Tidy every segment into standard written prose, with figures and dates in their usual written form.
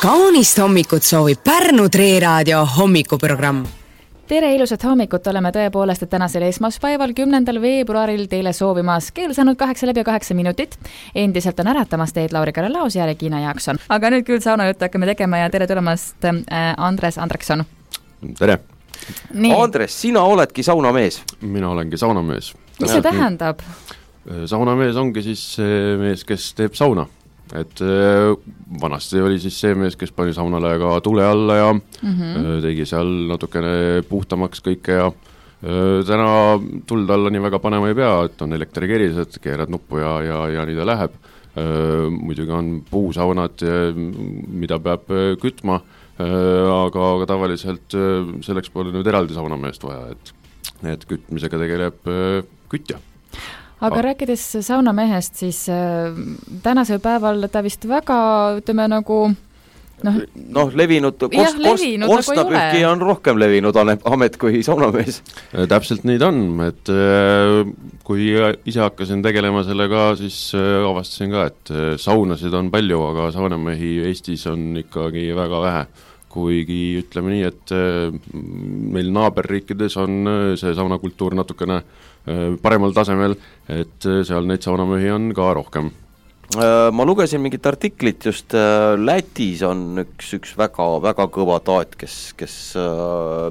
Kaunist hommikut soovib Pärnu Treeraadio hommikuprogramm. Tere ilusat hommikut, oleme tõepoolest, et tänasel esmaspäeval 10. veebruaril teile soovimas keel saanud 8:08 minutit. Endiselt on äratamas teid Lauri Karelaus ja Regina Jaakson. Aga nüüd küll saunajuttu hakkame tegema ja tere tulemast Andres Andrekson. Tere! Nii. Andres, sina oledki saunamees. Mina olengi saunamees. Mis see tähendab? Saunamees ongi siis see mees, kes teeb sauna. Et vanasti oli siis see mees, kes pani saunale ka tule alla ja tegi seal natukene puhtamaks kõike ja täna tuld alla nii väga panema ei pea, et on elektrikerised, keerad nuppu ja nii ta läheb. Muidugi on puusaunad, mida peab kütma, aga tavaliselt selleks pole nüüd eraldi saunameest vaja, et kütmisega tegeleb kütja. Aga rääkides saunamehest, siis tänasel päeval ta vist väga, ütleme nagu levinud, korstnapühki on rohkem levinud amet kui saunamees. Täpselt nii ta on, et kui ise hakkasin tegelema sellega, siis avastasin ka, et saunasid on palju, aga saunamehi Eestis on ikkagi väga vähe. Kuigi ütleme nii, et meil naaberriikides on see saunakultuur natukene paremal tasemel, et seal neid saunamehi on ka rohkem. Ma lugesin mingit artiklit, just Lätis on üks väga kõva taat, kes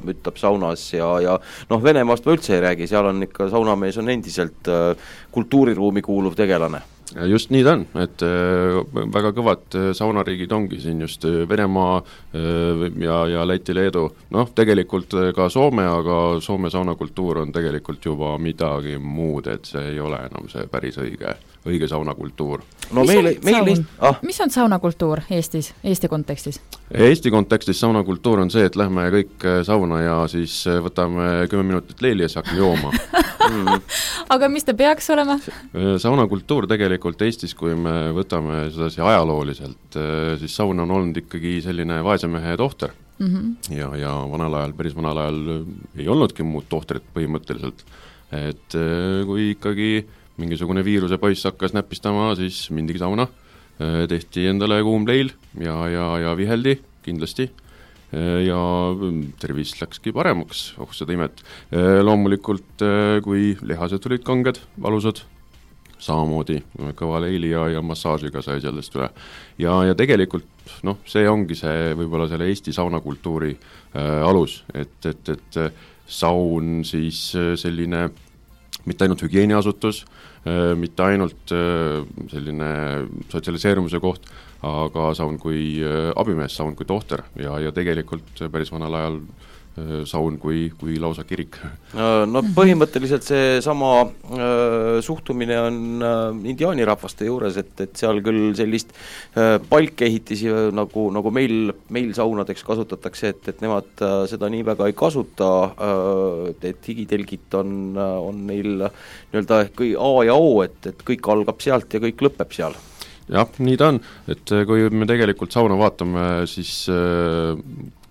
mütab saunas ja Venemaast ma üldse ei räägi, seal on ikka saunamees on endiselt kultuuriruumi kuuluv tegelane. Just nii ta on, et väga kõvad saunariigid ongi siin just Venemaa ja Läti, Leedu. Tegelikult ka Soome, aga Soome saunakultuur on tegelikult juba midagi muud, et see ei ole enam see päris õige saunakultuur. Mis on saunakultuur Eestis, Eesti kontekstis? Eesti kontekstis saunakultuur on see, et lähme kõik sauna ja siis võtame 10 minutit leili ja siis hakkame jooma. Aga mis ta peaks olema? Saunakultuur tegelikult Eestis, kui me võtame sedasi ajalooliselt, siis saun on olnud ikkagi selline vaesemehe tohter. Ja päris vanal ajal ei olnudki muud tohtrit põhimõtteliselt. Et kui ikkagi mingisugune viiruse poiss hakkas näpistama, siis mindigi sauna, tehti endale kuum leil ja viheldi kindlasti ja tervis läkski paremaks, seda imet. Loomulikult, kui lihased olid kanged, valusad, samamoodi kõva leili ja massaažiga sai sellest üle. Ja tegelikult see ongi see võib-olla selle Eesti saunakultuuri alus, et saun siis selline mitte ainult hügieeniasutus, mitte ainult selline sotsialiseerumise koht, aga saun kui abimees, saun kui tohter ja tegelikult päris vanal ajal saun kui lausa kirik. Põhimõtteliselt see sama suhtumine on indiaanirahvaste juures, et seal küll sellist palkehitisi nagu meil saunadeks kasutatakse, et nemad seda nii väga ei kasuta, et higitelgid on neil nii-öelda A ja O, et kõik algab sealt ja kõik lõpeb seal. Jah, nii ta on, et kui me tegelikult sauna vaatame, siis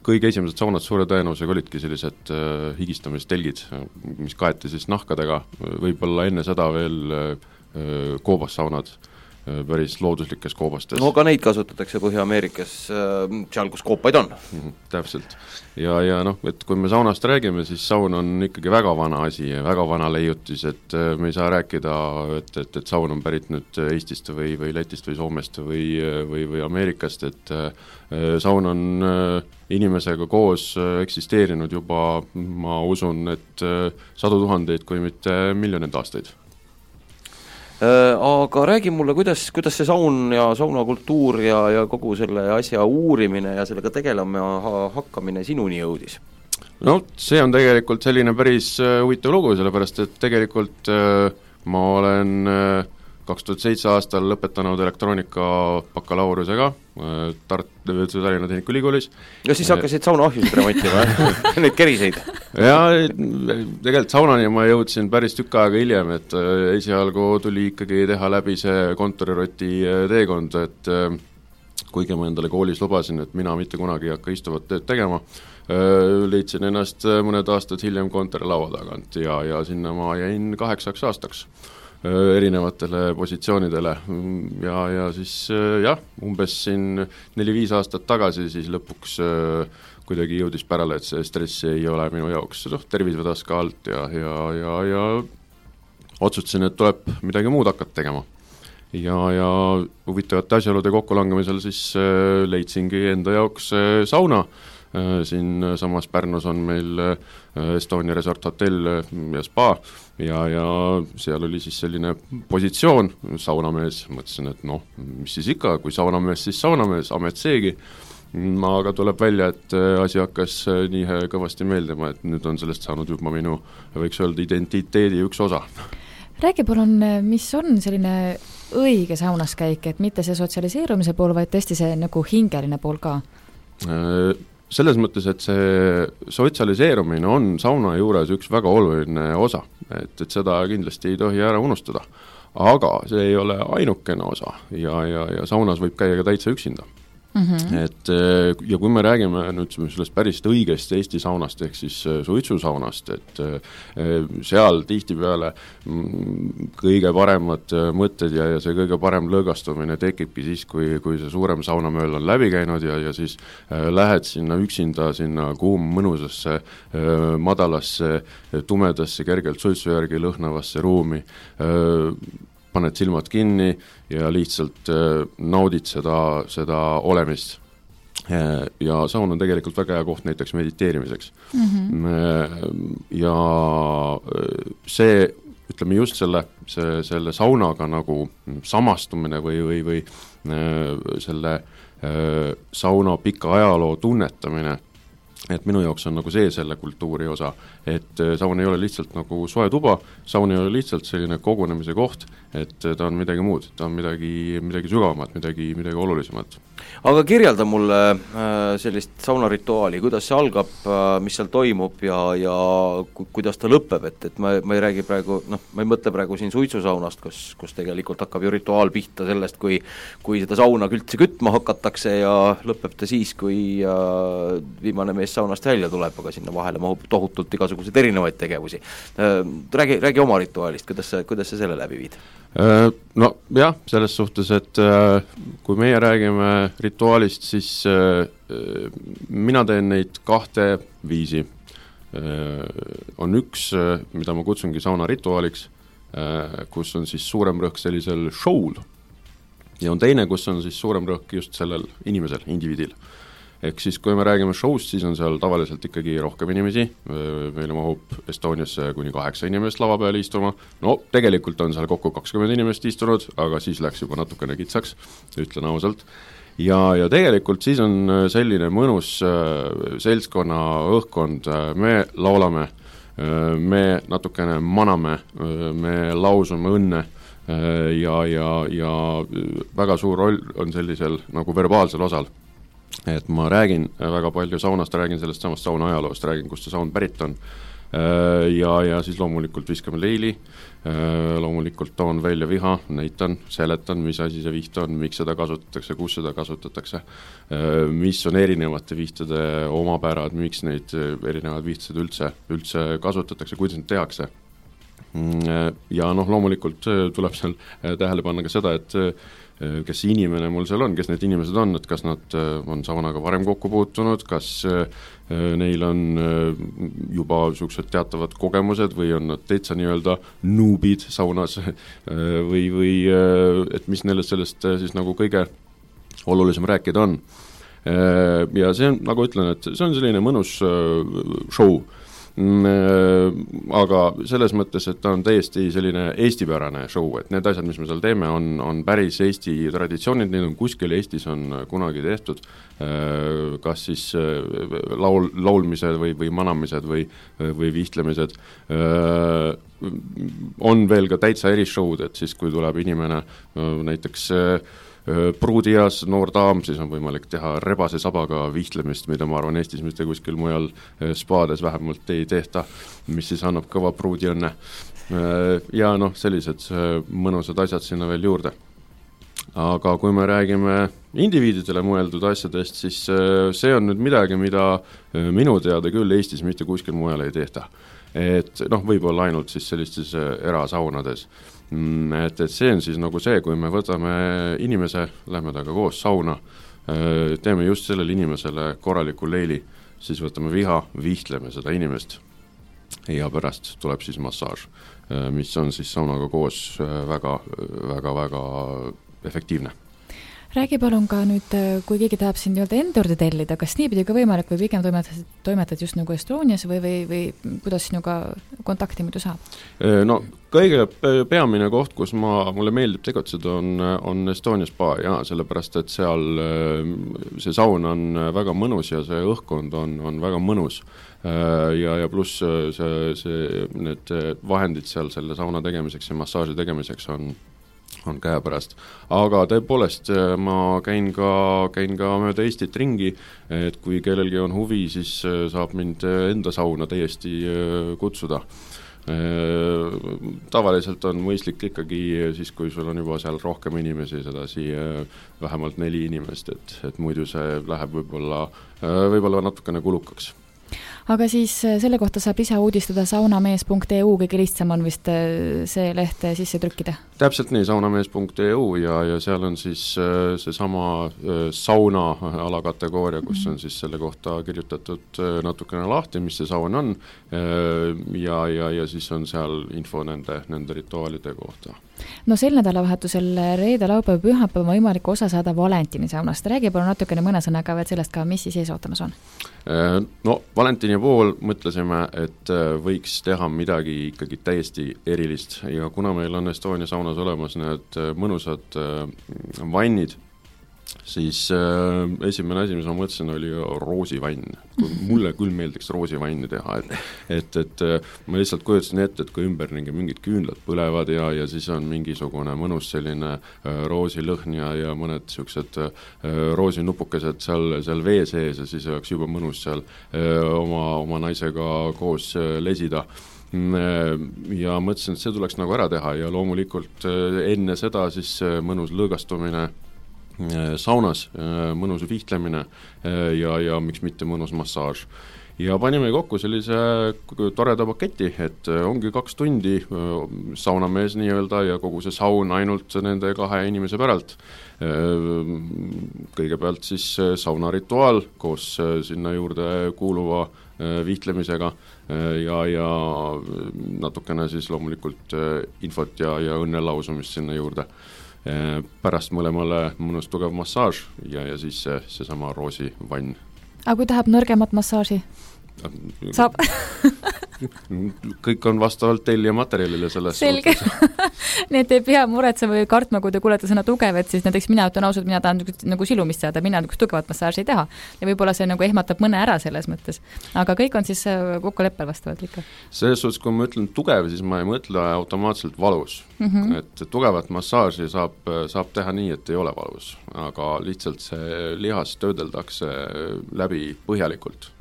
kõige esimesed saunad suure tõenäosusega olidki sellised higistamistelgid, mis kaeti siis nahkadega, võib-olla enne seda veel koobassaunad, päris looduslikes koobastes. Ka neid kasutatakse Põhja-Ameerikas, seal kus koopaid on. Täpselt. Ja et kui me saunast räägime, siis saun on ikkagi väga vana asi ja väga vana leiutis, et me ei saa rääkida, et saun on pärit nüüd Eestist või Lätist või Soomest või Ameerikast, et saun on inimesega koos eksisteerinud juba, ma usun, et 100 000 kui mitte miljoneid aastaid. Aga räägi mulle, kuidas see saun ja saunakultuur ja kogu selle asja uurimine ja sellega tegelema hakkamine sinuni jõudis? See on tegelikult selline päris huvitav lugu, sellepärast et tegelikult ma olen 2007 aastal lõpetanud elektroonika bakalaureusega Tallinna Tehnikaülikoolis. Ja siis hakkasid saunaahjusid remontima, neid keriseid? Ja tegelikult saunani ma jõudsin päris tükk aega hiljem, et esialgu tuli ikkagi teha läbi see kontoriroti teekond, et kuigi ma endale koolis lubasin, et mina mitte kunagi ei hakka istuvat tööd tegema, leidsin ennast mõned aastad hiljem kontorilaua tagant ja sinna ma jäin 8 aastaks. erinevatele positsioonidele ja siis jah, umbes siin 4-5 aastat tagasi siis lõpuks kuidagi jõudis pärale, et see stress ei ole minu jaoks, tervis vedas ka alt ja otsustasin, et tuleb midagi muud hakata tegema. Ja huvitavate asjaolude kokkulangamisel siis leidsingi enda jaoks sauna. Siin samas Pärnus on meil Estonia Resort Hotel ja spa ja seal oli siis selline positsioon, saunamees, mõtlesin, et mis siis ikka, kui saunamees, siis saunamees, amet seegi. Aga tuleb välja, et asi hakkas nii kõvasti meeldima, et nüüd on sellest saanud juba minu, võiks öelda, identiteedi üks osa. Räägi palun, mis on selline õige saunas käik, et mitte see sotsialiseerumise pool, vaid tõesti see nagu hingeline pool ka? Selles mõttes, et see sotsialiseerumine on sauna juures üks väga oluline osa, et seda kindlasti ei tohi ära unustada. Aga see ei ole ainukene osa ja saunas võib käia ka täitsa üksinda. Et ja kui me räägime nüüd sellest päris õigest Eesti saunast ehk siis suitsusaunast, et seal tihtipeale kõige paremad mõtted ja see kõige parem lõõgastumine tekibki siis, kui see suurem saunamööl on läbi käinud ja siis lähed sinna üksinda sinna mõnusasse, madalasse, tumedasse, kergelt suitsu järgi lõhnavasse ruumi, paned silmad kinni ja lihtsalt naudid seda olemist. Ja saun on tegelikult väga hea koht näiteks mediteerimiseks. Ja see, ütleme just selle saunaga nagu samastumine või selle sauna pika ajaloo tunnetamine, et minu jaoks on nagu see selle kultuuri osa, et saun ei ole lihtsalt nagu soe tuba, saun ei ole lihtsalt selline kogunemise koht, et ta on midagi muud, ta on midagi sügavamat, midagi olulisemat. Aga kirjelda mulle sellist saunarituaali, kuidas see algab, mis seal toimub ja kuidas ta lõpeb, et ma ei räägi praegu, ma ei mõtle praegu siin suitsusaunast, kus tegelikult hakkab ju rituaal pihta sellest, kui seda sauna üldse kütma hakatakse ja lõpeb ta siis, kui viimane mees saunast välja tuleb, aga sinna vahele mahub tohutult igasuguseid erinevaid tegevusi. Räägi oma rituaalist, kuidas sa selle läbi viid? No jah, selles suhtes, et kui meie räägime rituaalist, siis mina teen neid 2 viisi. On üks, mida ma kutsungi sauna rituaaliks, kus on siis suurem rõhk sellisel show'l ja on teine, kus on siis suurem rõhk just sellel inimesel, indiviidil. Ehk siis, kui me räägime show'st, siis on seal tavaliselt ikkagi rohkem inimesi, meile mahub Estoniasse kuni 8 inimest lava peale istuma, tegelikult on seal kokku 20 inimest istunud, aga siis läks juba natukene kitsaks, ütlen ausalt. Ja tegelikult siis on selline mõnus seltskonna õhkkond, me laulame, me natukene maname, me lausume õnne ja väga suur roll on sellisel nagu verbaalsel osal. Et ma räägin väga palju saunast, räägin sellest samast sauna ajaloost, räägin, kust see saun pärit on ja siis loomulikult viskame leili, loomulikult toon välja viha, näitan, seletan, mis asi see viht on, miks seda kasutatakse, kus seda kasutatakse, mis on erinevate vihtade omapärad, miks neid erinevad vihtased üldse kasutatakse, kuidas neid tehakse. Ja loomulikult tuleb seal tähele panna ka seda, et kes inimene mul seal on, kes need inimesed on, et kas nad on saunaga varem kokku puutunud, kas neil on juba sellised teatavad kogemused või on nad täitsa nii-öelda noobid saunas või et mis neile sellest siis nagu kõige olulisem rääkida on. Ja see on, nagu ütlen, et see on selline mõnus show, aga selles mõttes, et ta on täiesti selline eestipärane show, et need asjad, mis me seal teeme, on päris Eesti traditsioonid, need on kuskil Eestis on kunagi tehtud, kas siis laulmised või manamised või vihtlemised, on veel ka täitsa erishowd, et siis kui tuleb inimene näiteks pruudias noor daam, siis on võimalik teha rebase sabaga vihtlemist, mida ma arvan Eestis mitte kuskil mujal spaades vähemalt ei tehta, mis siis annab kõva pruudi õnne. Ja sellised mõnusad asjad sinna veel juurde. Aga kui me räägime indiviididele mõeldud asjadest, siis see on nüüd midagi, mida minu teada küll Eestis mitte kuskil mujal ei tehta. Et võib-olla ainult siis sellistes erasaunades. Et see on siis nagu see, kui me võtame inimese, lähme taga koos sauna, teeme just sellele inimesele korraliku leili, siis võtame viha, vihtleme seda inimest ja pärast tuleb siis massaaž, mis on siis saunaga koos väga efektiivne. Räägi palun ka nüüd, kui keegi tahab siin enda juurde tellida, kas nii pidi ka võimalik või pigem toimetad just nagu Estonias või kuidas sinuga kontakti muidu saab? No kõige peamine koht, kus mulle meeldib tegutseda, on Estonia spa ja sellepärast, et seal see saun on väga mõnus ja see õhkkond on väga mõnus. Ja pluss need vahendid seal selle sauna tegemiseks ja massaaži tegemiseks on käepärast. Aga tõepoolest ma käin ka mööda Eestit ringi, et kui kellelgi on huvi, siis saab mind enda sauna täiesti kutsuda. Tavaliselt on mõistlik ikkagi siis, kui sul on juba seal rohkem inimesi, sedasi vähemalt 4 inimest, et muidu see läheb võib-olla natukene kulukaks. Aga siis selle kohta saab ise uudistada saunamees.eu, kõige lihtsam on vist see leht sisse trükkida? Täpselt nii, saunamees.eu ja seal on siis see sama sauna alakategooria, kus on siis selle kohta kirjutatud natukene lahti, mis see saun on ja siis on seal info nende rituaalide kohta. No sel nädalavahetusel reede, laupäev, pühapäev on võimalik osa saada Valentini saunast. Räägi palun natukene mõne sõnaga veel sellest ka, mis siis ees ootamas on? No Valentini pool mõtlesime, et võiks teha midagi ikkagi täiesti erilist ja kuna meil on Estonia saunas olemas need mõnusad vannid, siis esimene asi, mis ma mõtlesin, oli roosivann. Mulle küll meeldiks roosivanni teha, et ma lihtsalt kujutasin ette, et kui ümberringi mingid küünlad põlevad ja siis on mingisugune mõnus selline roosilõhn ja mõned siuksed roosinupukesed seal vee sees ja siis oleks juba mõnus seal oma naisega koos lesida. Ja mõtlesin, et see tuleks nagu ära teha ja loomulikult enne seda siis mõnus lõõgastumine saunas, mõnus vihtlemine ja miks mitte mõnus massaaž. Ja panime kokku sellise toreda paketi, et ongi 2 tundi saunamees nii-öelda ja kogu see saun ainult nende 2 inimese päralt. Kõigepealt siis saunarituaal koos sinna juurde kuuluva vihtlemisega ja natukene siis loomulikult infot ja õnnelausumist sinna juurde. Pärast mõlemale mõnus tugev massaaž ja siis see sama roosivann. Aga kui tahab nõrgemat massaaži? Saab? Kõik on vastavalt tellija materjalile selles selge. Nii et ei pea muretsema või kartma, kui te kuulete sõna tugev, et siis näiteks mina ütlen ausalt, mina tahan nagu silumist saada, mina nagu tugevat massaaži ei taha. Ja võib-olla see nagu ehmatab mõne ära selles mõttes. Aga kõik on siis kokkuleppel vastavalt ikka. Selles suhtes, kui ma ütlen tugev, siis ma ei mõtle automaatselt valus. Et tugevat massaaži saab teha nii, et ei ole valus. Aga lihtsalt see lihas töödeldakse läbi põhjalikult.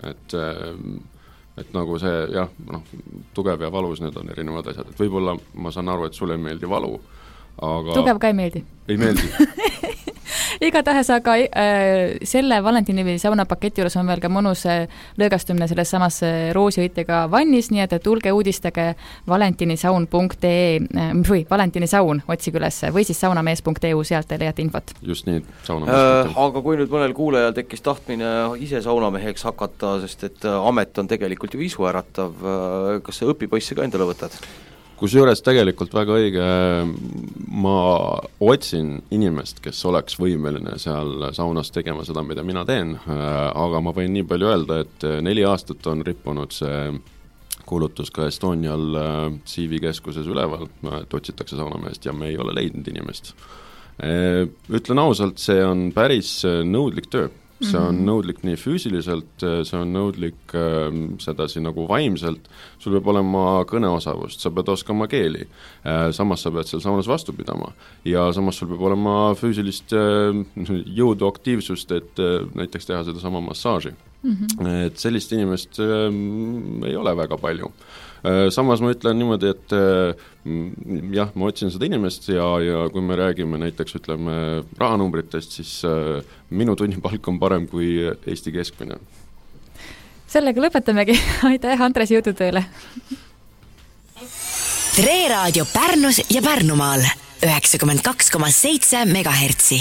Et nagu see, jah, tugev ja valus, need on erinevad asjad. Et võib-olla ma saan aru, et sulle ei meeldi valu, aga... Tugev ka ei meeldi? Ei meeldi. Igatahes, aga selle Valentini saunapaketi juures on veel ka mõnus lõõgastumine selles samas roosiõitega vannis, nii et tulge uudistage valentinisaun.ee Valentinisaun otsige üles või siis saunamees.eu, sealt te leiate infot. Just nii, saunamees.eu. Aga kui nüüd mõnel kuulajal tekkis tahtmine ise saunameheks hakata, sest et amet on tegelikult ju isu äratav, kas sa õpipoisse ka endale võtad? Kusjuures tegelikult väga õige, ma otsin inimest, kes oleks võimeline seal saunas tegema seda, mida mina teen, aga ma võin nii palju öelda, et 4 aastat on rippunud see kuulutus ka Estonial CV-keskuses üleval, et otsitakse saunameest ja me ei ole leidnud inimest. Ütlen ausalt, see on päris nõudlik töö. See on nõudlik nii füüsiliselt, see on nõudlik sedasi nagu vaimselt, sul peab olema kõneosavust, sa pead oskama keeli, samas sa pead seal saunas vastu pidama ja samas sul peab olema füüsilist jõudu aktiivsust, et näiteks teha seda sama massaaži. Et sellist inimest ei ole väga palju. Samas ma ütlen niimoodi, et jah, ma otsin seda inimest ja kui me räägime näiteks, ütleme, rahanumbritest, siis minu tunnipalk on parem kui Eesti keskmine. Sellega lõpetamegi. Aitäh, Andres, jõudu tööle! Tre Raadio Pärnus ja Pärnumaal 92,7 MHz.